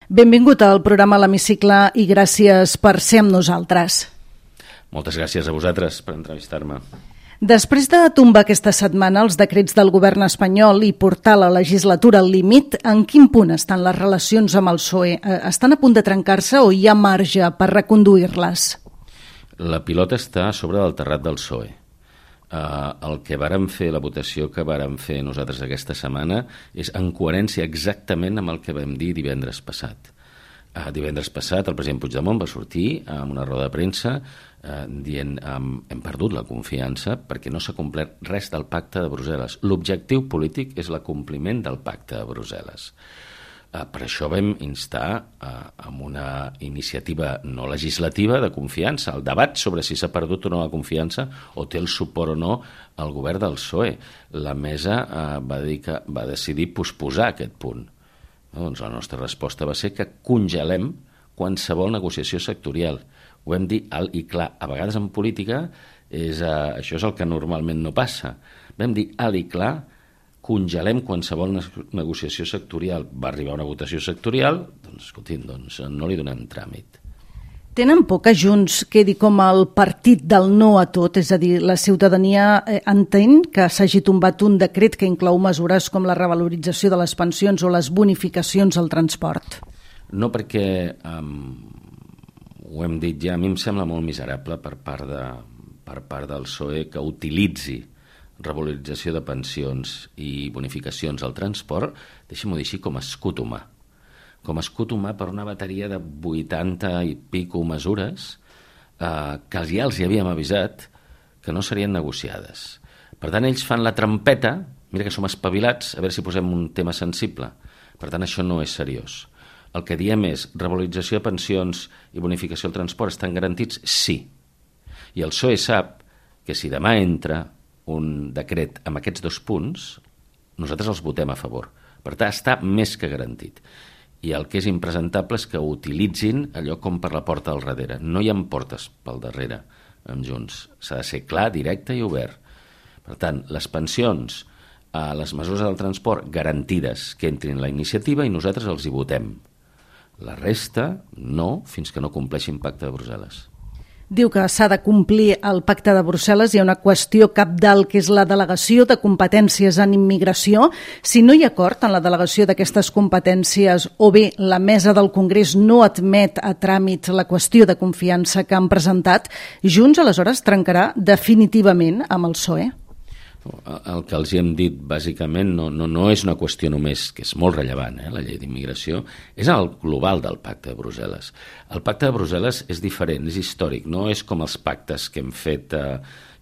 Benvingut al programa L'Hemicicle i gràcies per ser amb nosaltres. Moltes gràcies a vosaltres per entrevistar-me. Després de tombar aquesta setmana els decrets del govern espanyol i portar la legislatura al límit, en quin punt estan les relacions amb el PSOE? Estan a punt de trencar-se o hi ha marge per reconduir-les? La pilota està sobre del terrat del PSOE. El que vàrem fer, la votació que vàrem fer nosaltres aquesta setmana és en coherència exactament amb el que vam dir divendres passat. Divendres passat el president Puigdemont va sortir en una roda de premsa dient hem perdut la confiança perquè no s'ha complert res del pacte de Brussel·les. L'objectiu polític és l'acompliment del pacte de Brussel·les. Per això vam instar amb una iniciativa no legislativa de confiança, el debat sobre si s'ha perdut o no la confiança o té el suport o no al govern del PSOE. La mesa va decidir posposar aquest punt. Doncs la nostra resposta va ser que congelem qualsevol negociació sectorial. Ho vam dir alt i clar. A vegades en política això és el que normalment no passa. Vam dir alt i clar, congelem qualsevol negociació sectorial. Va arribar una votació sectorial, doncs escoltin, no li donem tràmit. Tenen por que Junts quedi com el partit del no a tot? És a dir, la ciutadania entén que s'hagi tombat un decret que inclou mesures com la revalorització de les pensions o les bonificacions al transport? No, perquè ho hem dit ja, a mi em sembla molt miserable per part del PSOE que utilitzi revalorització de pensions i bonificacions al transport, deixem-ho dir així, com a escut humà. Com a escut humà per una bateria de 80 i pico mesures que ja els hi havíem avisat que no serien negociades. Per tant, ells fan la trampeta, mira que som espavilats, a veure si posem un tema sensible. Per tant, això no és seriós. El que diem és revalorització de pensions i bonificació al transport estan garantits? Sí. I el PSOE sap que si demà entra un decret amb aquests dos punts, nosaltres els votem a favor. Per tant, està més que garantit. I el que és impresentable és que utilitzin allò com per la porta al darrere. No hi ha portes pel darrere amb Junts. S'ha de ser clar, directe i obert. Per tant, les pensions, les mesures del transport garantides que entrin la iniciativa i nosaltres els hi votem. La resta, no, fins que no compleixin pacte de Brussel·les. Diu que s'ha de complir el pacte de Brussel·les. Hi ha una qüestió cabdal que és la delegació de competències en immigració. Si no hi ha acord en la delegació d'aquestes competències o bé la mesa del Congrés no admet a tràmit la qüestió de confiança que han presentat, Junts aleshores trencarà definitivament amb el PSOE? El que els hi hem dit bàsicament no és una qüestió només, que és molt rellevant, la llei d'immigració, és el global del pacte de Brussel·les. El pacte de Brussel·les és diferent, és històric, no és com els pactes que hem fet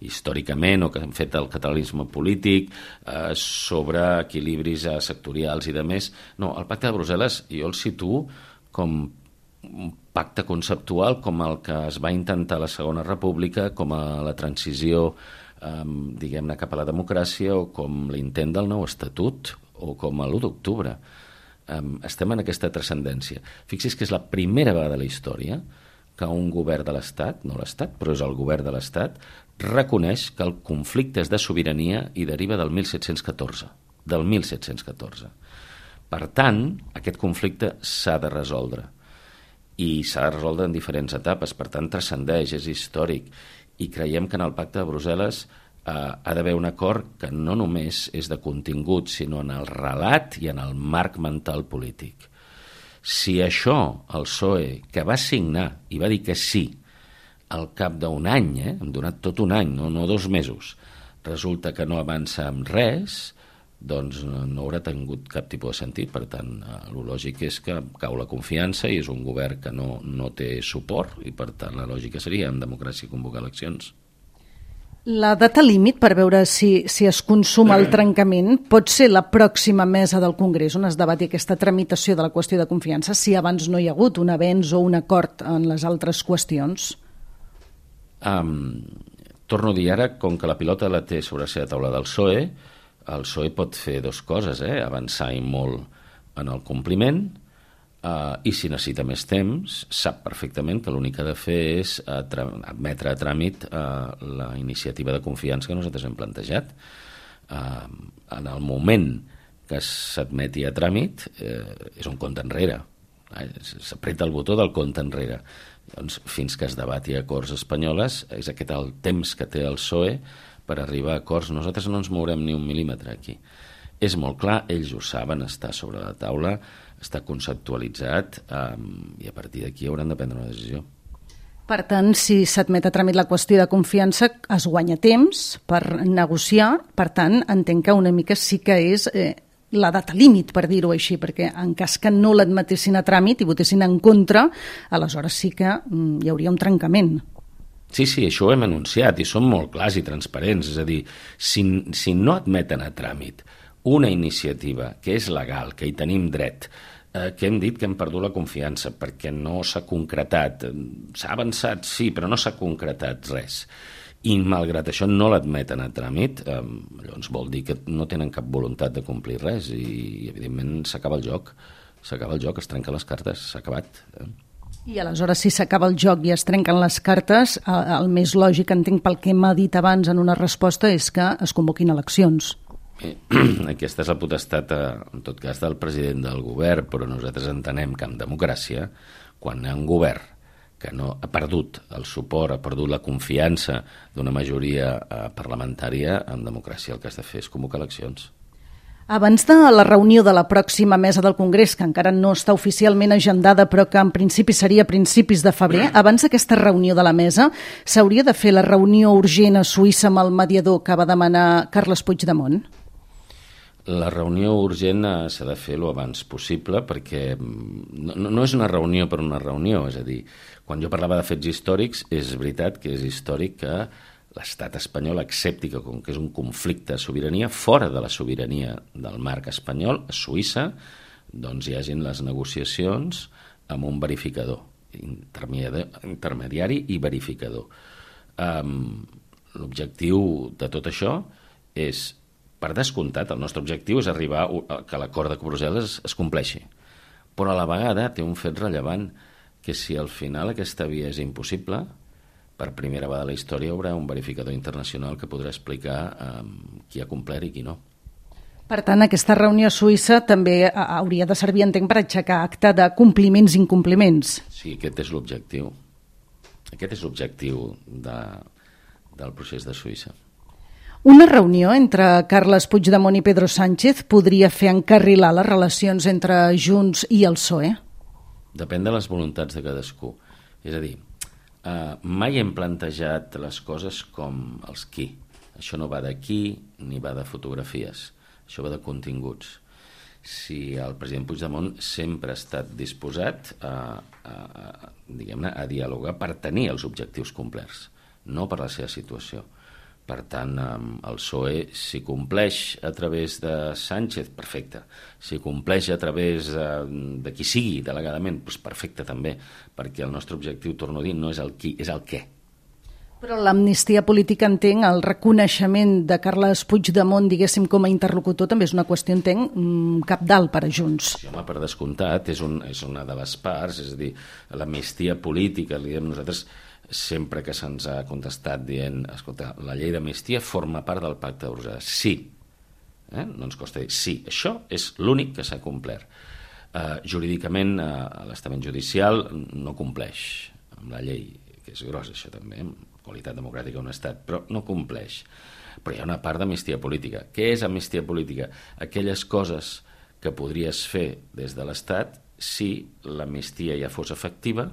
històricament o que hem fet el catalanisme polític sobre equilibris sectorials i demés. No, el pacte de Brussel·les jo el situo com un pacte conceptual com el que es va intentar a la Segona República, com a la transició diguem-ne cap a la democràcia o com l'intent del nou estatut o com a l'1 d'octubre. Estem en aquesta transcendència. Fixi's que és la primera vegada de la història que un govern de l'Estat, no l'Estat, però és el govern de l'Estat, reconeix que el conflicte és de sobirania i deriva del 1714. Del 1714. Per tant, aquest conflicte s'ha de resoldre. I s'ha de resoldre en diferents etapes, per tant, transcendeix, és històric. I creiem que en el pacte de Brussel·les ha d'haver un acord que no només és de contingut, sinó en el relat i en el marc mental polític. Si això, el PSOE, que va signar i va dir que sí al cap d'un any, hem donat tot un any, no 2 mesos, resulta que no avança amb res, doncs no haurà tingut cap tipus de sentit. Per tant, el lògic és que cau la confiança i és un govern que no té suport i per tant la lògica seria en democràcia convocar eleccions. La data límit per veure si es consuma el trencament pot ser la pròxima mesa del Congrés on es debati aquesta tramitació de la qüestió de confiança si abans no hi ha hagut un avenç o un acord en les altres qüestions? Torno a dir ara, com que la pilota la té sobre la seva taula del PSOE, el PSOE pot fer 2 coses, avançar i molt en el compliment i si necessita més temps, sap perfectament que l'únic que ha de fer és admetre a tràmit la iniciativa de confiança que nosaltres hem plantejat. En el moment que s'admeti a tràmit és un compte enrere. S'apreta el botó del compte enrere. Doncs, fins que es debati acords espanyoles, és aquest el temps que té el PSOE per arribar a acords. Nosaltres no ens mourem ni un mil·límetre aquí. És molt clar, ells ho saben, està sobre la taula, està conceptualitzat, i a partir d'aquí hauran de prendre una decisió. Per tant, si s'admet a tràmit la qüestió de confiança, es guanya temps per negociar. Per tant, entenc que una mica sí que és la data límit, per dir-ho així, perquè en cas que no l'admetessin a tràmit i votessin en contra, aleshores sí que hi hauria un trencament. Sí, això ho hem anunciat i som molt clars i transparents. És a dir, si no admeten a tràmit una iniciativa que és legal, que hi tenim dret, que hem dit que hem perdut la confiança perquè no s'ha concretat. S'ha avançat, sí, però no s'ha concretat res. I malgrat això no l'admeten a tràmit, llavors vol dir que no tenen cap voluntat de complir res i evidentment s'acaba el joc, es trenquen les cartes, s'ha acabat. I aleshores, si s'acaba el joc i es trenquen les cartes, el més lògic, entenc pel que m'ha dit abans en una resposta, és que es convoquin eleccions. Aquesta és la potestat, en tot cas, del president del govern, però nosaltres entenem que en democràcia, quan hi ha un govern que no ha perdut el suport, ha perdut la confiança d'una majoria parlamentària, en democràcia el que has de fer és convocar eleccions. Abans de la reunió de la pròxima mesa del Congrés, que encara no està oficialment agendada, però que en principi seria a principis de febrer, abans d'aquesta reunió de la mesa, s'hauria de fer la reunió urgent a Suïssa amb el mediador que va demanar Carles Puigdemont? La reunió urgent s'ha de fer lo abans possible perquè no és una reunió per una reunió, és a dir, quan jo parlava de fets històrics, és veritat que és històric que l'estat espanyol accepti que, com que és un conflicte de sobirania, fora de la sobirania del marc espanyol, a Suïssa, doncs hi hagin les negociacions amb un verificador, intermediari i verificador. L'objectiu de tot això és, per descomptat, el nostre objectiu és arribar a que l'acord de Brussel·les es compleixi. Però a la vegada té un fet rellevant, que si al final aquesta via és impossible, per primera vegada a la història hi haurà un verificador internacional que podrà explicar qui ha complert i qui no. Per tant, aquesta reunió a Suïssa també hauria de servir, entenc, per aixecar acte de compliments i incompliments. Sí, aquest és l'objectiu. Aquest és l'objectiu del procés de Suïssa. Una reunió entre Carles Puigdemont i Pedro Sánchez podria fer encarrilar les relacions entre Junts i el PSOE? Depèn de les voluntats de cadascú. És a dir, mai hem plantejat les coses com els qui. Això no va d'aquí ni va de fotografies. Això va de continguts. Si el president Puigdemont sempre ha estat disposat a dialogar per tenir els objectius complerts, no per la seva situació. Per tant, el PSOE, si compleix a través de Sánchez, perfecte. Si compleix a través de qui sigui delegadament, doncs perfecte també, perquè el nostre objectiu, torno a dir, no és el qui, és el què. Però l'amnistia política, entenc, el reconeixement de Carles Puigdemont, diguéssim, com a interlocutor, també és una qüestió, entenc, cabdal per a Junts. Sí, home, per descomptat, és una de les parts, és a dir, l'amnistia política, li diem nosaltres, sempre que se'ns ha contestat dient, escolta, la llei d'amnistia forma part del pacte de Brussel·les. Sí. No ens costa dir sí. Això és l'únic que s'ha complert. Jurídicament, l'estament judicial no compleix amb la llei, que és gros, això també, amb qualitat democràtica d'un estat, però no compleix. Però hi ha una part d'amnistia política. Què és amnistia política? Aquelles coses que podries fer des de l'Estat si l'amnistia ja fos efectiva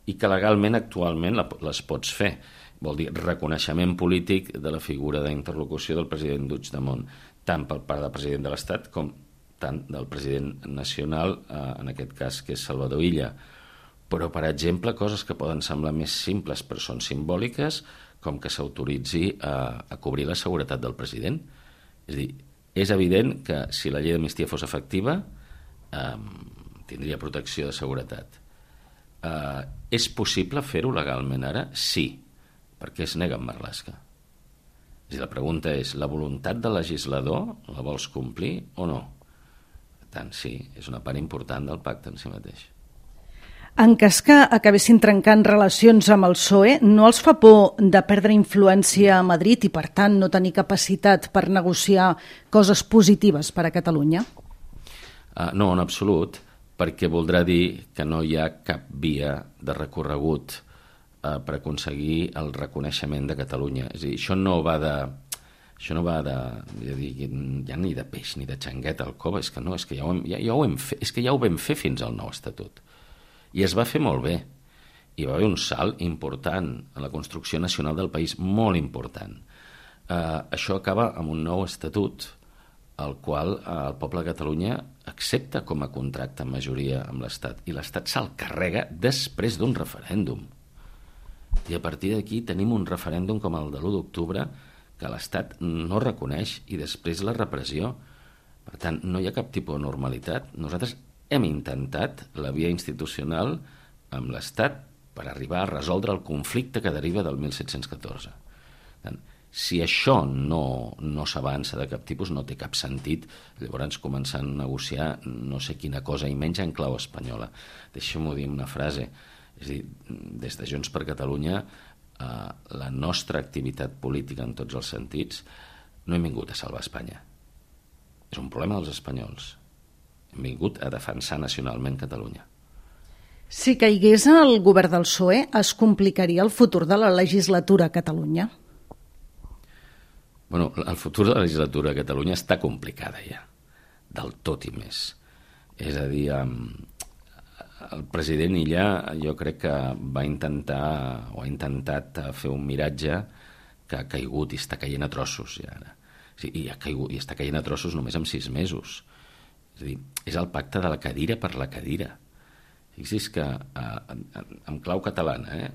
i que legalment actualment les pots fer. Vol dir reconeixement polític de la figura d'interlocució del president Puigdemont, tant per part del president de l'Estat com tant del president nacional, en aquest cas que és Salvador Illa. Però, per exemple, coses que poden semblar més simples però són simbòliques, com que s'autoritzi a cobrir la seguretat del president. És a dir, és evident que si la llei d'amnistia fos efectiva, tindria protecció de seguretat. És possible fer-ho legalment ara? Sí, perquè es nega en Marlaska. És a dir, la pregunta és, la voluntat del legislador la vols complir o no? Per tant, sí, és una part important del pacte en si mateix. En cas que acabessin trencant relacions amb el PSOE, no els fa por de perdre influència a Madrid i, per tant, no tenir capacitat per negociar coses positives per a Catalunya? No, en absolut. perquè voldrà dir que no hi ha cap via de recorregut per aconseguir el reconeixement de Catalunya. És a dir, això no va de ja ni de peix ni de xangueta al cova, és que no, és que ja ho vam fer fins al nou estatut. I es va fer molt bé. Hi va haver un salt important en la construcció nacional del país, molt important. Això acaba amb un nou estatut, el qual el poble de Catalunya accepta com a contracte amb majoria amb l'Estat, i l'Estat se'l carrega després d'un referèndum. I a partir d'aquí tenim un referèndum com el de l'1 d'octubre que l'Estat no reconeix, i després la repressió. Per tant, no hi ha cap tipus de normalitat. Nosaltres hem intentat la via institucional amb l'Estat per arribar a resoldre el conflicte que deriva del 1714. Per tant, si això no s'avança de cap tipus, no té cap sentit llavors començar a negociar no sé quina cosa, i menys en clau espanyola. Deixa'm-ho dir una frase. És a dir, des de Junts per Catalunya, la nostra activitat política en tots els sentits, no hem vingut a salvar Espanya. És un problema dels espanyols. Hem vingut a defensar nacionalment Catalunya. Si caigués el govern del PSOE, es complicaria el futur de la legislatura a Catalunya? Bueno, el futur de la legislatura a Catalunya està complicada ja, del tot i més. És a dir, el president Illa jo crec que va intentar o ha intentat fer un miratge que ha caigut i està caient a trossos ja ara. I ha caigut i està caient a trossos només en 6 mesos. És a dir, és el pacte de la cadira per la cadira. Fixi's que en clau catalana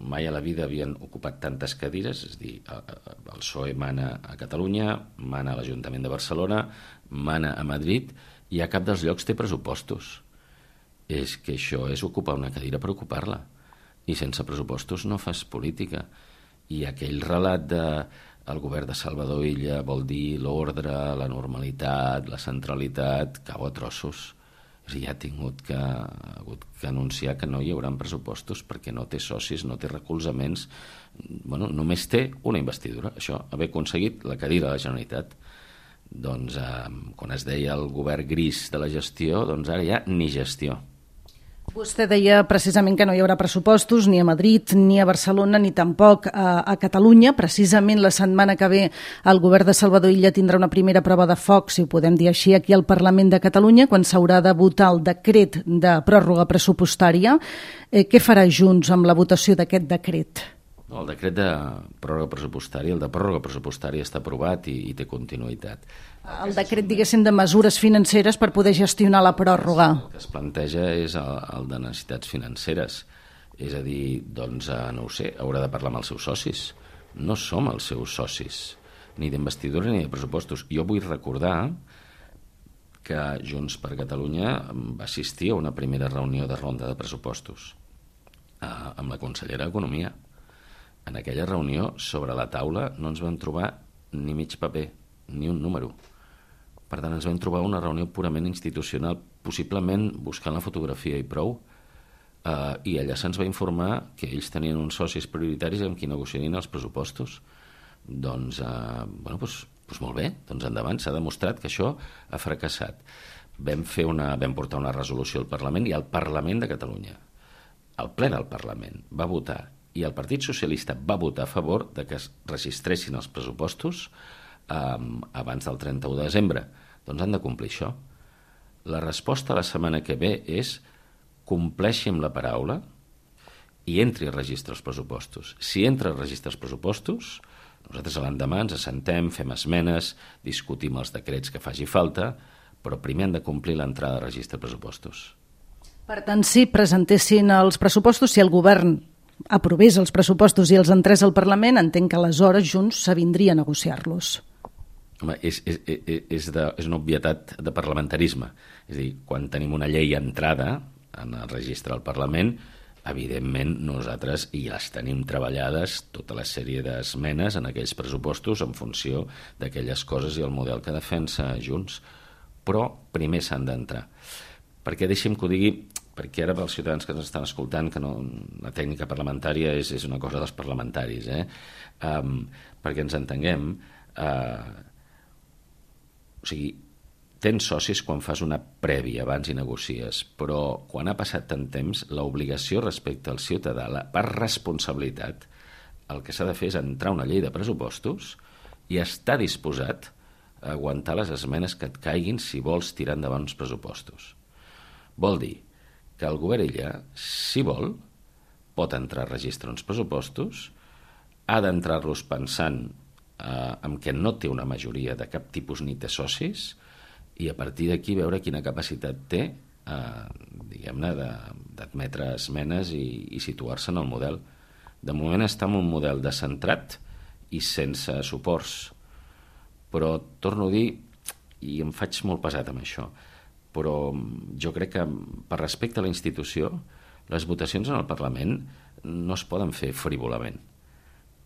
mai a la vida havien ocupat tantes cadires, és a dir, el PSOE mana a Catalunya, mana a l'Ajuntament de Barcelona, mana a Madrid, i a cap dels llocs té pressupostos. És que això és ocupar una cadira per ocupar-la, i sense pressupostos no fas política. I aquell relat del govern de Salvador Illa vol dir l'ordre, la normalitat, la centralitat, cau a trossos. És a dir, ha hagut que anunciar que no hi haurà pressupostos perquè no té socis, no té recolzaments. Bueno, només té una investidura, això, haver aconseguit la cadira de la Generalitat. Doncs quan es deia el govern gris de la gestió, doncs ara ja ni gestió. Vostè deia precisament que no hi haurà pressupostos ni a Madrid, ni a Barcelona, ni tampoc a Catalunya. Precisament la setmana que ve el govern de Salvador Illa tindrà una primera prova de foc, si ho podem dir així, aquí al Parlament de Catalunya, quan s'haurà de votar el decret de pròrroga pressupostària. Què farà Junts amb la votació d'aquest decret? El decret de pròrroga pressupostària, el de pròrroga pressupostària està aprovat i té continuïtat. El decret, diguéssim, de mesures financeres per poder gestionar la pròrroga. El que es planteja és el de necessitats financeres. És a dir, doncs, no ho sé, haurà de parlar amb els seus socis. No som els seus socis, ni d'investidura ni de pressupostos. Jo vull recordar que Junts per Catalunya va assistir a una primera reunió de ronda de pressupostos amb la consellera d'Economia. En aquella reunió, sobre la taula, no ens vam trobar ni mig paper, ni un número. Per tant, ens vam trobar una reunió purament institucional, possiblement buscant la fotografia i prou, i allà se'ns va informar que ells tenien uns socis prioritaris amb qui negociarien els pressupostos. Doncs, molt bé, doncs endavant, s'ha demostrat que això ha fracassat. Vam portar una resolució al Parlament, i el Parlament de Catalunya, el ple del Parlament, va votar, i el Partit Socialista va votar a favor de que es registressin els pressupostos abans del 31 de desembre. Doncs han de complir això. La resposta la setmana que ve és compleixi amb la paraula i entri a registre els pressupostos. Si entra a registre els pressupostos, nosaltres a l'endemà ens assentem, fem esmenes, discutim els decrets que faci falta, però primer han de complir l'entrada a registre de pressupostos. Per tant, si presentessin els pressupostos, si el govern aprovés els pressupostos i els entrés al Parlament, entenc que aleshores Junts s'avindria a negociar-los. Home, és una obvietat de parlamentarisme. És a dir, quan tenim una llei entrada en el registre del Parlament, evidentment nosaltres ja les tenim treballades, tota la sèrie d'esmenes en aquells pressupostos en funció d'aquelles coses i el model que defensa Junts. Però primer s'han d'entrar. Perquè deixi'm que ho digui, perquè ara pels ciutadans que ens estan escoltant, que no, la tècnica parlamentària és una cosa dels parlamentaris, perquè ens entenguem, o sigui, tens socis quan fas una prèvia abans i negocies, però quan ha passat tant temps, l'obligació respecte al ciutadà, per responsabilitat, el que s'ha de fer és entrar una llei de pressupostos i estar disposat a aguantar les esmenes que et caiguin si vols tirar endavant uns pressupostos. Vol dir que el govern ella, si vol, pot entrar a registrar uns pressupostos, ha d'entrar-los pensant en què no té una majoria de cap tipus ni té socis, i a partir d'aquí veure quina capacitat té diguem-ne d'admetre esmenes i situar-se en el model. De moment està en un model descentrat i sense suports, però torno a dir, i em faig molt pesat amb això, però jo crec que per respecte a la institució les votacions en el Parlament no es poden fer frívolament.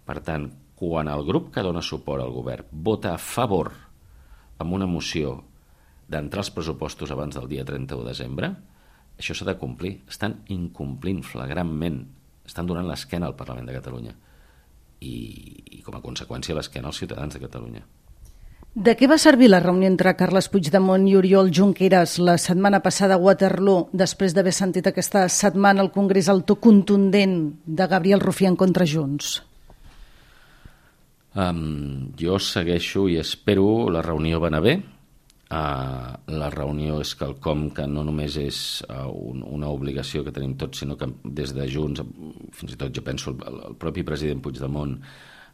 Per tant, quan el grup que dona suport al govern vota a favor amb una moció d'entrar els pressupostos abans del dia 31 de desembre, això s'ha de complir. Estan incomplint flagrantment, estan donant l'esquena al Parlament de Catalunya i com a conseqüència l'esquena als ciutadans de Catalunya. De què va servir la reunió entre Carles Puigdemont i Oriol Junqueras la setmana passada a Waterloo, després d'haver sentit aquesta setmana al Congrés el to contundent de Gabriel Rufián contra Junts? Jo segueixo i espero, la reunió va anar bé. La reunió és quelcom que no només és una obligació que tenim tots, sinó que des de Junts, fins i tot jo penso el propi president Puigdemont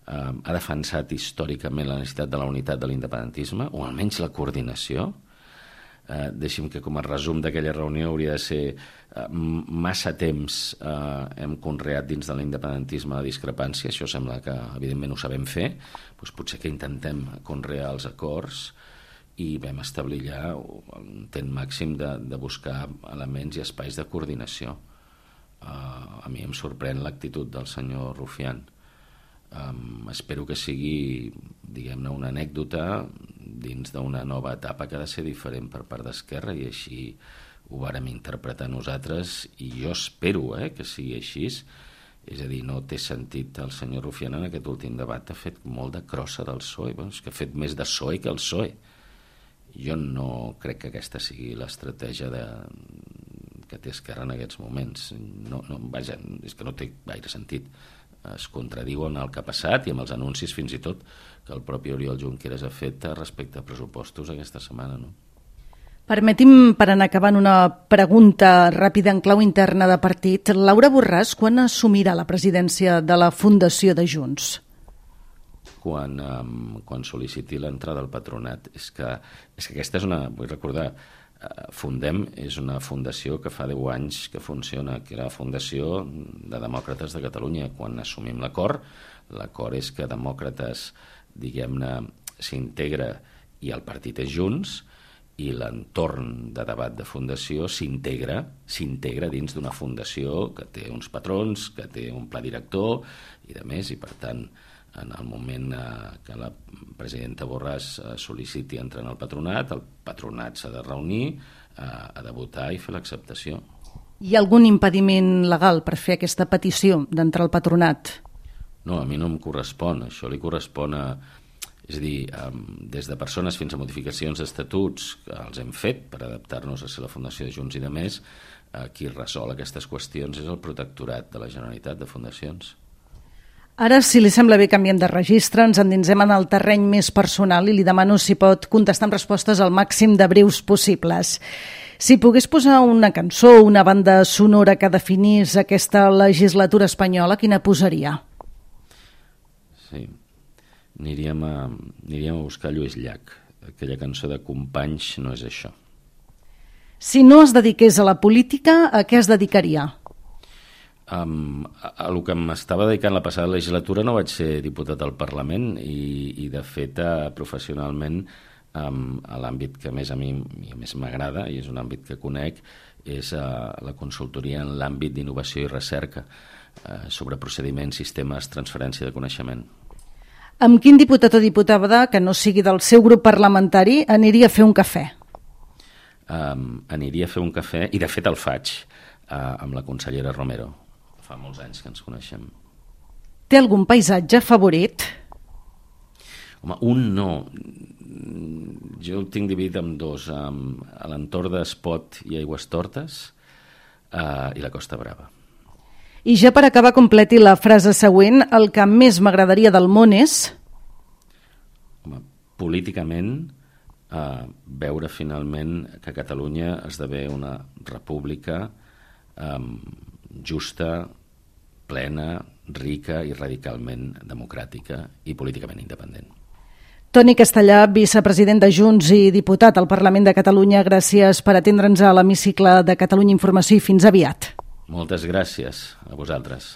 ha defensat històricament la necessitat de la unitat de l'independentisme, o almenys la coordinació. Deixi'm que com a resum d'aquella reunió hauria de ser massa temps hem conreat dins de l'independentisme la discrepància, això sembla que evidentment ho sabem fer, doncs potser que intentem conrear els acords i vam establir ja un intent màxim de buscar elements i espais de coordinació. A mi em sorprèn l'actitud del senyor Rufián. Espero que sigui, diguem-ne, una anècdota dins d'una nova etapa que ha de ser diferent per part d'Esquerra, i així ho vàrem interpretar nosaltres, i jo espero que sigui així. És a dir, no té sentit. El senyor Rufián en aquest últim debat ha fet molt de crossa del PSOE, és que ha fet més de PSOE que el PSOE. Jo no crec que aquesta sigui l'estratègia que té Esquerra en aquests moments. Vaja, és que no té gaire sentit. Es contradiuen el que ha passat i amb els anuncis fins i tot que el propi Oriol Junqueras ha fet respecte a pressupostos aquesta setmana, no? Permeti'm, per anar acabant, una pregunta ràpida en clau interna de partit. Laura Borràs, quan assumirà la presidència de la Fundació de Junts? Quan sol·liciti l'entrada al patronat. És que aquesta és una... Vull recordar, Fundem és una fundació que fa 10 anys que funciona, que era la Fundació de Demòcrates de Catalunya. Quan assumim l'acord és que Demòcrates, diguem-ne, s'integra i el partit és Junts, i l'entorn de debat de fundació s'integra dins d'una fundació que té uns patrons, que té un pla director i de més, i per tant en el moment que la presidenta Borràs sol·liciti entrar en el patronat s'ha de reunir, ha de votar i fer l'acceptació. Hi ha algun impediment legal per fer aquesta petició d'entrar al patronat? No, a mi no em correspon. Això li correspon a... És a dir, des de persones fins a modificacions d'estatuts que els hem fet per adaptar-nos a ser la Fundació de Junts i de més, qui resol aquestes qüestions és el Protectorat de la Generalitat de Fundacions. Ara, si li sembla bé, canviem de registre, ens endinsem en el terreny més personal i li demano si pot contestar amb respostes al màxim de breus possibles. Si pogués posar una cançó o una banda sonora que definís aquesta legislatura espanyola, quina posaria? Sí, aniríem a buscar Lluís Llach. Aquella cançó de Companys no és això. Si no es dediqués a la política, a què es dedicaria? A el que m'estava dedicant la passada legislatura no vaig ser diputat al Parlament i de fet professionalment a l'àmbit que més a mi més m'agrada i és un àmbit que conec és la consultoria en l'àmbit d'innovació i recerca sobre procediments, sistemes, transferència de coneixement. Amb quin diputat o diputada que no sigui del seu grup parlamentari aniria a fer un cafè? Aniria a fer un cafè i de fet el faig amb la consellera Romero. Fa molts anys que ens coneixem. Té algun paisatge favorit? Home, un no. Jo el tinc dividit en dos, a l'entorn d'Espot i Aigüestortes i la Costa Brava. I ja per acabar, completi la frase següent: el que més m'agradaria del món és... Home, políticament, veure finalment que Catalunya esdevé una república justa, plena, rica i radicalment democràtica i políticament independent. Toni Castellà, vicepresident de Junts i diputat al Parlament de Catalunya, gràcies per atendre'ns a l'hemicicle de Catalunya Informació i fins aviat. Moltes gràcies a vosaltres.